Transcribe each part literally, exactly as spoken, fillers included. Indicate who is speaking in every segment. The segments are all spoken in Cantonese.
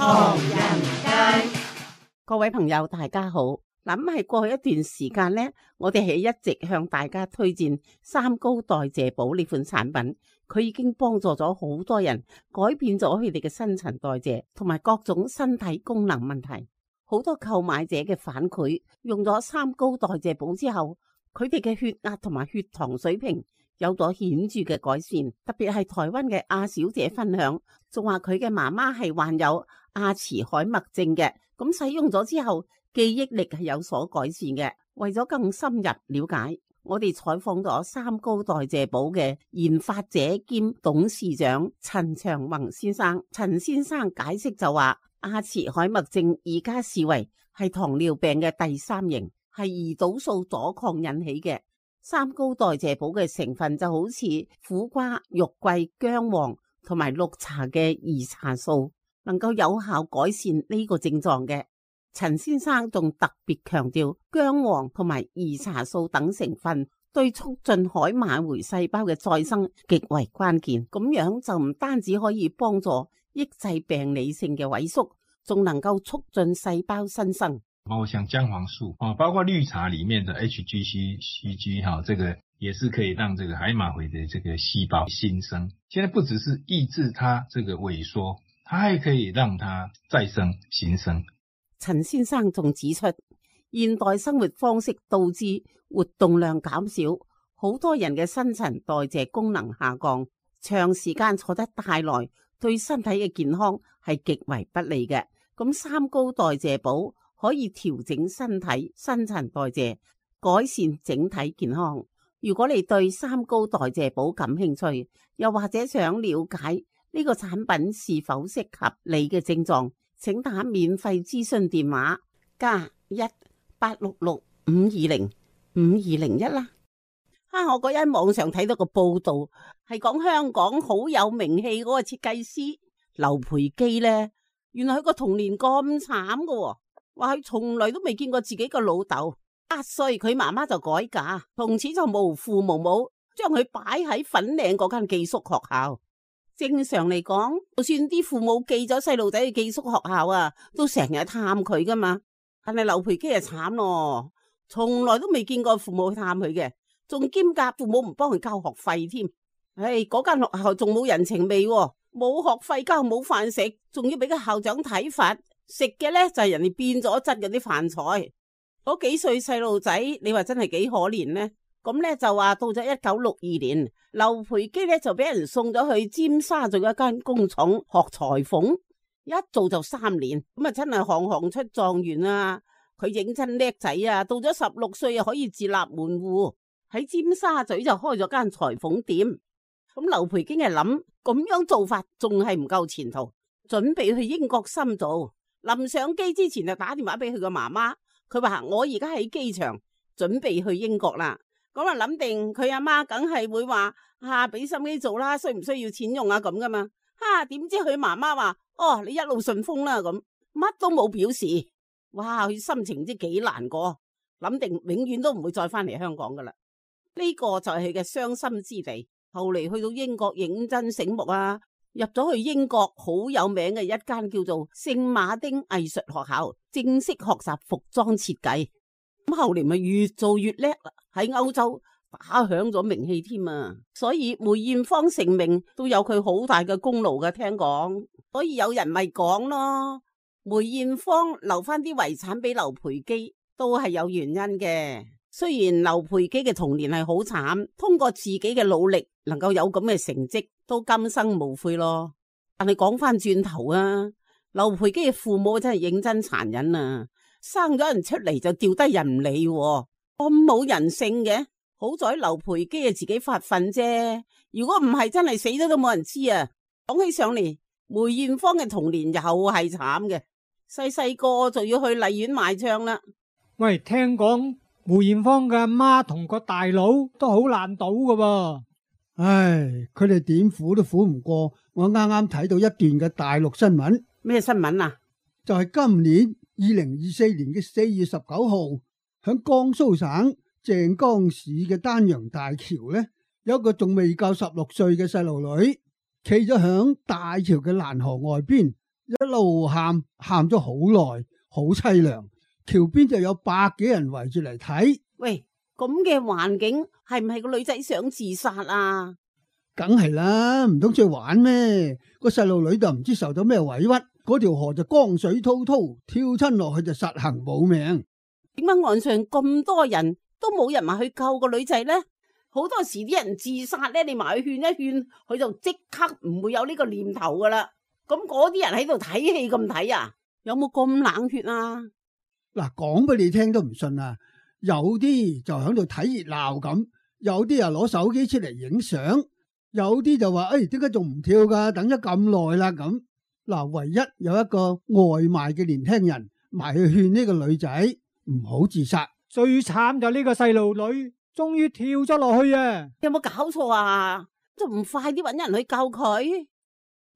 Speaker 1: 唐人街，
Speaker 2: 各位朋友大家好。咁係過去一段時間呢，我哋係一直向大家推薦三高代謝寶呢款產品，佢已經幫助咗好多人改變咗佢哋嘅新陳代謝同埋各種身體功能問題。好多購買者嘅反饋，用咗三高代謝寶之後，佢哋嘅血壓同埋血糖水平有咗顯著嘅改善。特別係台灣嘅阿小姐分享，仲話佢嘅媽媽係患有阿茨海默症嘅，咁使用咗之後記憶力係有所改善嘅。為咗更深入了解，我哋採訪咗三高代謝寶嘅研發者兼董事長陳長宏先生。陳先生解釋就話，阿茨海默症而家視為係糖尿病嘅第三型，係胰島素阻抗引起嘅。三高代謝寶嘅成分就好似苦瓜、肉桂、薑黃同埋綠茶嘅兒茶素，能夠有效改善呢個症狀嘅。陳先生仲特別強調，薑黃同埋兒茶素等成分對促進海馬回細胞嘅再生極為關鍵。咁樣就唔單止可以幫助抑制病理性嘅萎縮，仲能夠促進細胞新生。
Speaker 3: 包括像薑黃素啊，包括綠茶裡面的 H G C C G 哈，這個也是可以讓這個海馬回的這個細胞新生。現在不只是抑制它這個萎縮，它還可以讓它再生新生。
Speaker 2: 陳先生仲指出，現代生活方式導致活動量減少，好多人嘅新陳代謝功能下降，長時間坐得太耐，對身體嘅健康係極為不利嘅。咁三高代謝寶可以調整身體新陳代謝，改善整體健康。如果你對三高代謝寶感興趣，又或者想了解呢個產品是否適合你嘅症狀，請打免費諮詢電話加一八六六五二零五二零一啦。啊，我嗰日網上睇到個報道，係講香港好有名氣嗰個設計師劉培基呢，原來佢個童年咁慘噶，話佢從來都未見過自己個老豆。八歲佢媽媽就改嫁，從此就無父無母，將佢擺喺粉嶺嗰間寄宿學校。正常嚟講，就算啲父母寄咗細路仔去寄宿學校啊，都成日探佢噶嘛。但係劉培基就慘咯，從來都未見過父母去探佢嘅，仲兼夾父母唔幫佢交學費添。唉，嗰間學校仲冇人情味，冇學費交，冇飯食，仲要俾個校長體罰。食嘅咧就係人哋變咗質嗰啲飯菜。嗰幾歲細路仔，你話真係幾可憐呢？咁咧就話到咗一九六二年，劉培基咧就俾人送咗去尖沙咀一間工廠學裁縫，一做就三年，咁啊真係行行出狀元啊！佢認真叻仔啊，到咗十六歲啊可以自立門戶，喺尖沙咀就開咗間裁縫店。咁劉培基係諗，咁樣做法仲係唔夠前途，準備去英國深造。臨上機之前就打電話俾佢個媽媽，佢話我而家喺機場準備去英國啦。咁啊諗定佢阿媽梗係會話啊，俾心機做啦，需唔需要錢用啊咁噶嘛？哈、啊，點知佢媽媽話哦，你一路順風啦，咁乜都冇表示。哇，佢心情唔知幾難過，諗定永遠都唔會再翻嚟香港噶啦。呢、這個就係佢嘅傷心之地。後嚟去到英國認真醒目啊，入咗去英國好有名嘅一間叫做聖馬丁藝術學校，正式學習服裝設計。咁後嚟咪越做越叻啦，喺歐洲打響咗名氣添啊！所以梅艷芳成名都有佢好大嘅功勞嘅，聽講。所以有人咪講咯，梅艷芳留翻啲遺產俾劉培基都係有原因嘅。雖然劉培基嘅童年係好慘，通過自己嘅努力能夠有咁嘅成績，都今生無悔咯。但係講翻轉頭啊，劉培基嘅父母真係認真殘忍啊！生咗人出嚟就掉低人唔理，咁冇人性嘅。好在劉培基係自己發奮啫，如果唔係真係死咗都冇人知啊。講起上嚟，梅艷芳嘅童年又係慘嘅，細細個就要去荔園賣唱啦。
Speaker 4: 喂，聽講梅艷芳嘅阿媽同個大佬都好爛賭噶噃。
Speaker 5: 唉，佢哋點苦都苦唔過。我啱啱睇到一段嘅大陸新聞。
Speaker 2: 咩新聞啊？
Speaker 5: 就係今年二零二四年嘅四月十九號，響江蘇省鄭江市嘅丹陽大橋呢，有一個仲未夠十六歲嘅細路女，企咗響大橋嘅欄河外邊，一路喊，喊咗好耐，好淒涼。橋邊就有百幾人圍住嚟睇。
Speaker 2: 喂，咁嘅環境係唔係個女仔想自殺啊？
Speaker 5: 梗係啦，唔通出去玩咩？個細路女就唔知受到咩委屈，嗰條河就江水滔滔，跳親落去就實行冇命。
Speaker 2: 點解岸上咁多人都冇人埋去救個女仔呢？好多時啲人自殺咧，你埋去勸一勸，佢就即刻唔會有呢個念頭噶啦。咁嗰啲人喺度睇戲咁睇啊？有冇咁冷血啊？
Speaker 5: 嗱，講俾你聽都唔信啊！有啲就喺度睇熱鬧咁，有啲啊攞手機出嚟影相，有啲就話：誒，點解仲唔跳噶？等咗咁耐啦咁。嗱，唯一有一個外賣嘅年輕人埋去勸呢個女仔唔好自殺。
Speaker 4: 最慘就呢個細路女，終於跳咗落去啊！
Speaker 2: 有冇搞錯啊？仲唔快啲搵人去救佢？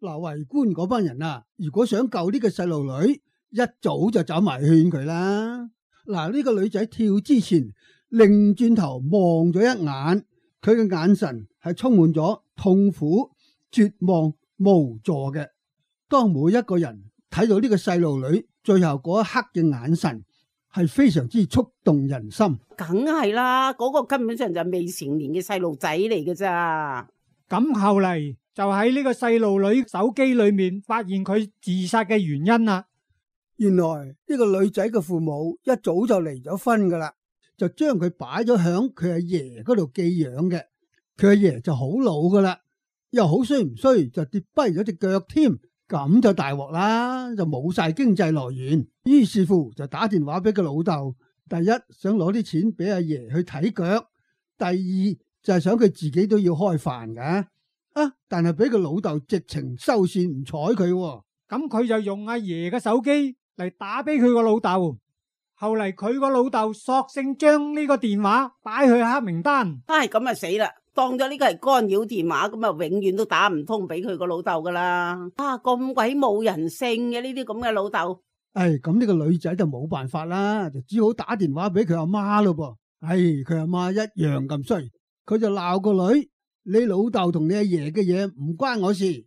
Speaker 5: 嗱，圍觀嗰班人啊，如果想救呢個細路女，一早就走埋勸佢啦。嗱，呢個女仔跳之前，擰轉頭望咗一眼，佢嘅眼神係充滿咗痛苦、絕望、無助嘅。當每一個人睇到呢個細路女最後嗰一刻嘅眼神，係非常之觸動人心。
Speaker 2: 梗係啦，嗰個根本上就未成年嘅細路仔嚟嘅咋。
Speaker 4: 咁後嚟就喺呢個細路女手機裏面發現佢自殺嘅原因啦。
Speaker 5: 原來呢個女仔嘅父母一早就離咗婚噶啦，就將佢擺咗響佢阿爺嗰度寄養嘅。佢阿爺就好老噶啦，又好衰唔衰就跌跛咗隻腳添，咁就大鑊啦，就冇晒經濟來源。於是乎就打電話俾佢老豆，第一想攞啲錢俾阿爺去睇腳，第二就係想佢自己都要開飯噶。啊！但係俾佢老豆直情收線唔睬佢，
Speaker 4: 咁佢就用阿爺嘅手機嚟打俾佢個老豆。後嚟佢個老豆索性將呢個電話擺去黑名單。
Speaker 2: 唉，咁啊死啦！當咗呢個係干擾電話，咁啊永遠都打唔通俾佢個老豆噶啦。啊，咁鬼冇人性嘅呢啲咁嘅老豆。
Speaker 5: 唉，咁呢個女仔就冇辦法啦，就只好打電話俾佢阿媽咯噃。唉，佢阿媽一樣咁衰，佢就鬧個女：你老豆同你阿爺嘅嘢唔關我事，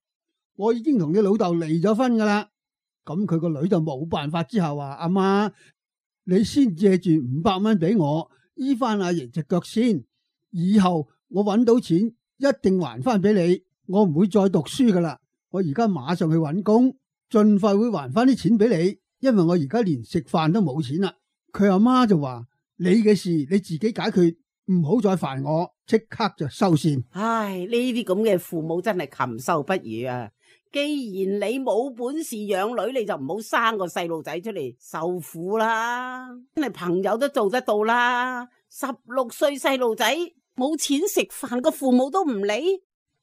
Speaker 5: 我已經同你老豆離咗婚噶啦。咁佢個女就冇辦法之後話：阿媽，你先借住五百蚊俾我醫翻阿爺隻腳先，以後我搵到錢一定還翻俾你，我唔會再讀書噶啦。我而家馬上去搵工，盡快會還翻啲錢俾你，因為我而家連食飯都冇錢啦。佢阿媽就話：你嘅事你自己解決，唔好再煩我，即刻就收線。
Speaker 2: 唉，呢啲咁嘅父母真係禽獸不如啊！既然你冇本事養女，你就唔好生個細路仔出嚟受苦啦。真係朋友都做得到啦。十六歲細路仔冇錢食飯，個父母都唔理。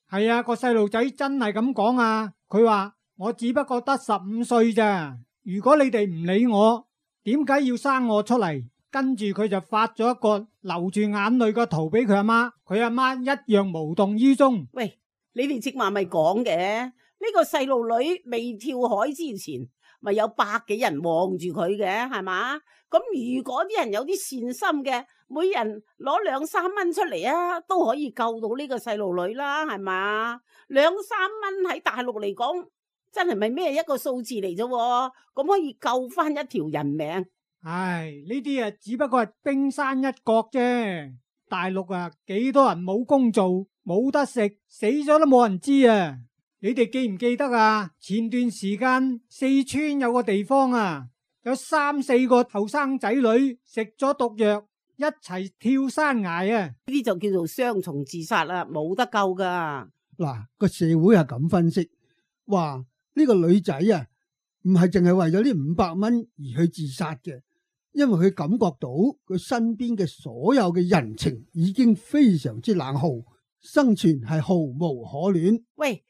Speaker 4: 係啊，個細路仔真係咁講啊！佢話我只不過得十五歲咋，如果你哋唔理我，點解要生我出嚟？跟住佢就發咗一個流住眼淚嘅圖俾佢阿媽，佢阿媽一樣無動於衷。
Speaker 2: 喂，你哋即話咪講嘅？呢個細路女未跳海之前，咪有百幾人望住佢嘅，係嘛？咁如果啲人有啲善心嘅，每人攞兩三蚊出嚟啊，都可以救到呢個細路女啦，係嘛？兩三蚊喺大陸嚟講，真係咪咩一個數字嚟啫？咁可以救翻一條人命。
Speaker 4: 唉，呢啲啊只不過係冰山一角啫。大陸啊，幾多人冇工做，冇得食，死咗都冇人知啊！你哋記唔記得啊？前段時間四川有個地方啊，有三四個後生仔女食咗毒藥，一齊跳山崖啊！
Speaker 2: 呢啲就叫做雙重自殺啦，冇得救噶。
Speaker 5: 嗱，個社會係咁分析，話呢個女仔啊，唔係淨係為咗呢五百蚊而去自殺嘅，因為佢感覺到佢身邊嘅所有嘅人情已經非常之冷酷，生存係毫無可戀。
Speaker 2: 喂，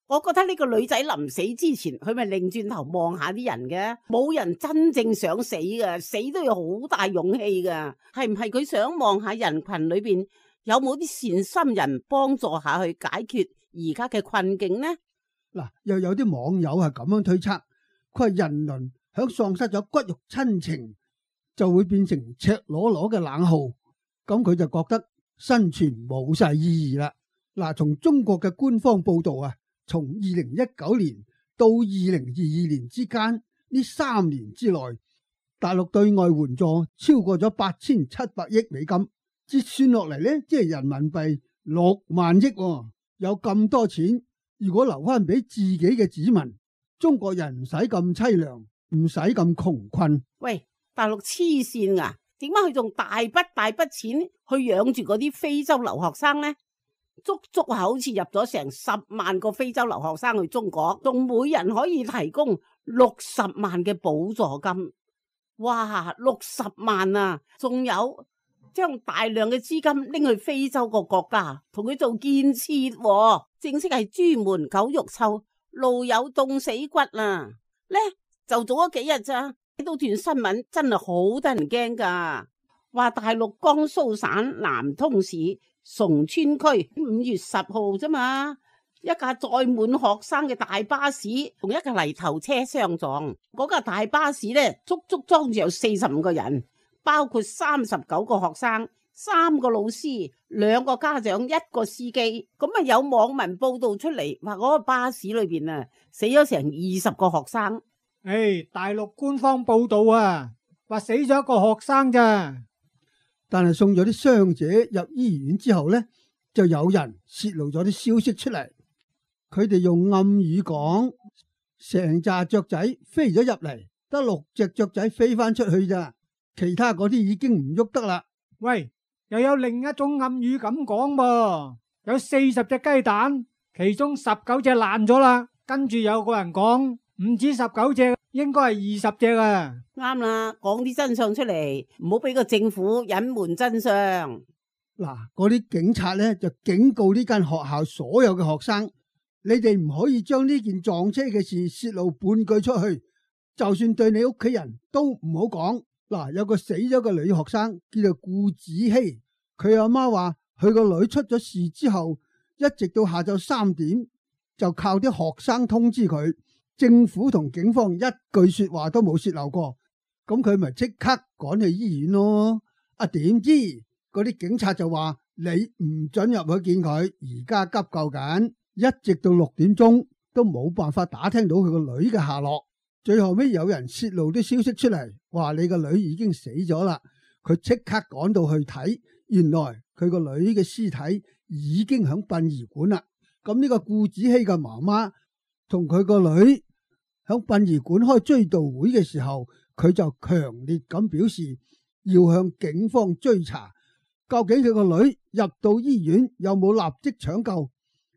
Speaker 2: 我覺得呢個女仔臨死之前，佢咪擰轉頭望下啲人嘅，冇人真正想死噶，死都要好大勇氣噶。係唔係佢想望下人群裏邊有冇啲善心人幫助下去解決而家嘅困境呢？
Speaker 5: 嗱，又有啲網友係咁樣推測，佢話人倫響喪失咗骨肉親情，就會變成赤裸裸嘅冷酷，咁佢就覺得生存冇晒意義啦。嗱，從中國嘅官方報道啊，從二零一九年到二零二二年之間呢三年之內，大陸對外援助超過咗八千七百億美金，折算落嚟呢，即係人民幣六萬億喎。有咁多錢，如果留翻俾自己嘅子民，中國人唔使咁淒涼，唔使咁窮困。
Speaker 2: 喂，大陸黐線啊！點解佢仲大筆大筆錢去養住嗰啲非洲留學生呢？足足係好似入咗成十萬個非洲留學生去中國，仲每人可以提供六十萬嘅補助金。哇，六十萬啊！仲有將大量嘅資金拎去非洲個國家，同佢做建設，啊，正式係朱門狗肉臭，路有凍死骨啊！呢就早咗幾日咋？睇到段新聞真係好得人驚噶，話大陸江蘇省南通市崇川區五月十號啫嘛，一架載滿學生嘅大巴士同一架泥頭車相撞，嗰架大巴士呢，足足裝住有四十五個人，包括三十九個學生、三個老師、兩個家長、一個司機。咁啊有網民報道出嚟，話嗰個巴士裏邊啊死咗成二十個學生。
Speaker 4: 誒、哎，大陸官方報道啊，話死咗一個學生咋，
Speaker 5: 但係送咗啲傷者入醫院之後呢，就有人泄露咗啲消息出嚟。佢哋用暗語講，成紮雀仔飛咗入嚟，得六隻雀仔飛翻出去咋，其他嗰啲已經唔喐得啦。
Speaker 4: 喂，又有另一種暗語咁講噃，有四十隻雞蛋，其中十九隻爛咗啦，跟住有個人講。唔止十九隻，應該係二十隻啊！
Speaker 2: 啱啦，講啲真相出嚟，唔好俾個政府隱瞞真相。
Speaker 5: 嗱，嗰啲警察咧就警告呢間學校所有嘅學生，你哋唔可以將呢件撞車嘅事泄露半句出去，就算對你屋企人都唔好講。嗱，有個死咗嘅女學生叫做顧子希，佢阿媽話佢個女出咗事之後，一直到下晝三點就靠啲學生通知佢。政府同警方一句說話都冇洩漏過，咁佢咪即刻趕去醫院咯。啊，點知嗰啲警察就話你唔准入去見佢，而家急救緊，一直到六點鐘都冇辦法打聽到佢個女嘅下落。最後尾有人洩露啲消息出嚟，話你個女已經死咗啦。佢即刻趕到去睇，原來佢個女嘅屍體已經響殯儀館啦。咁呢個顧子希嘅媽媽同佢個女響殯儀館開追悼會嘅時候，佢就強烈咁表示要向警方追查，究竟佢個女入到醫院有冇立即搶救，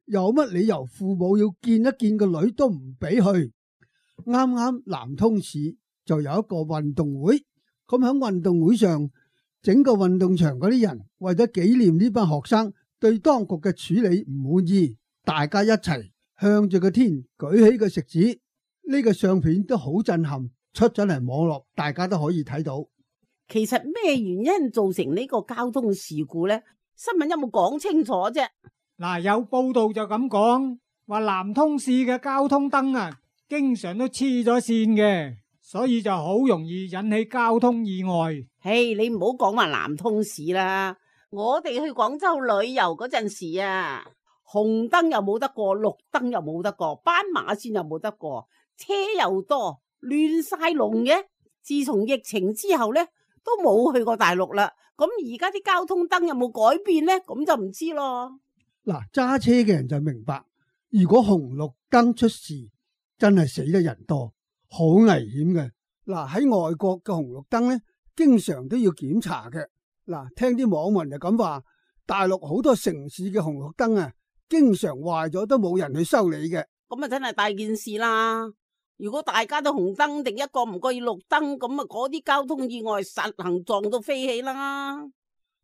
Speaker 5: 有乜理由父母要見一見個女都唔俾去。啱啱南通市就有一個運動會，咁響運動會上，整個運動場嗰啲人為咗紀念呢班學生對當局嘅處理唔滿意，大家一齊向住個天舉起個食指，呢個相片都好震撼，出咗嚟網絡，大家都可以睇到。
Speaker 2: 其實咩原因造成呢個交通事故呢？新聞有冇講清楚啫？
Speaker 4: 嗱，有報道就咁講，話南通市嘅交通燈啊，經常都黐咗線嘅，所以就好容易引起交通意外。
Speaker 2: 嘿，你唔好講話南通市啦，我哋去廣州旅遊嗰陣時啊，紅燈又冇得過，綠燈又冇得過，斑馬線又冇得過，車又多，亂晒龍嘅。自從疫情之後呢，都冇去過大陸啦。咁而家啲交通燈有冇改變呢？咁就唔知咯。
Speaker 5: 嗱，揸車嘅人就明白，如果紅綠燈出事，真係死得人多，好危險嘅。嗱，喺外國嘅紅綠燈呢，經常都要檢查嘅。嗱，聽啲網民就咁話，大陸好多城市嘅紅綠燈啊，經常壞咗都冇人去修理嘅。
Speaker 2: 咁啊，真係大件事啦！如果大家都紅燈定一個唔覺意綠燈，咁啊嗰啲交通意外實行撞到飛起啦。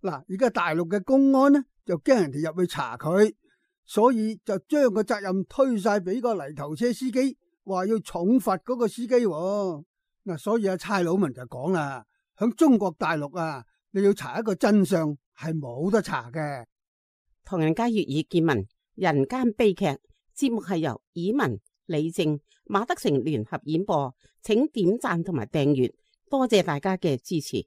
Speaker 5: 嗱，而家大陸嘅公安呢，就驚人哋入去查佢，所以就將個責任推晒俾個泥頭車司機，話要重罰嗰個司機。嗱，所以阿差佬們就講啦，響中國大陸啊，你要查一個真相係冇得查嘅。
Speaker 2: 唐人街粵語見聞，人間悲劇節目係由以文、李正、馬德成聯合演播，請點讚同埋訂閱，多謝大家嘅支持。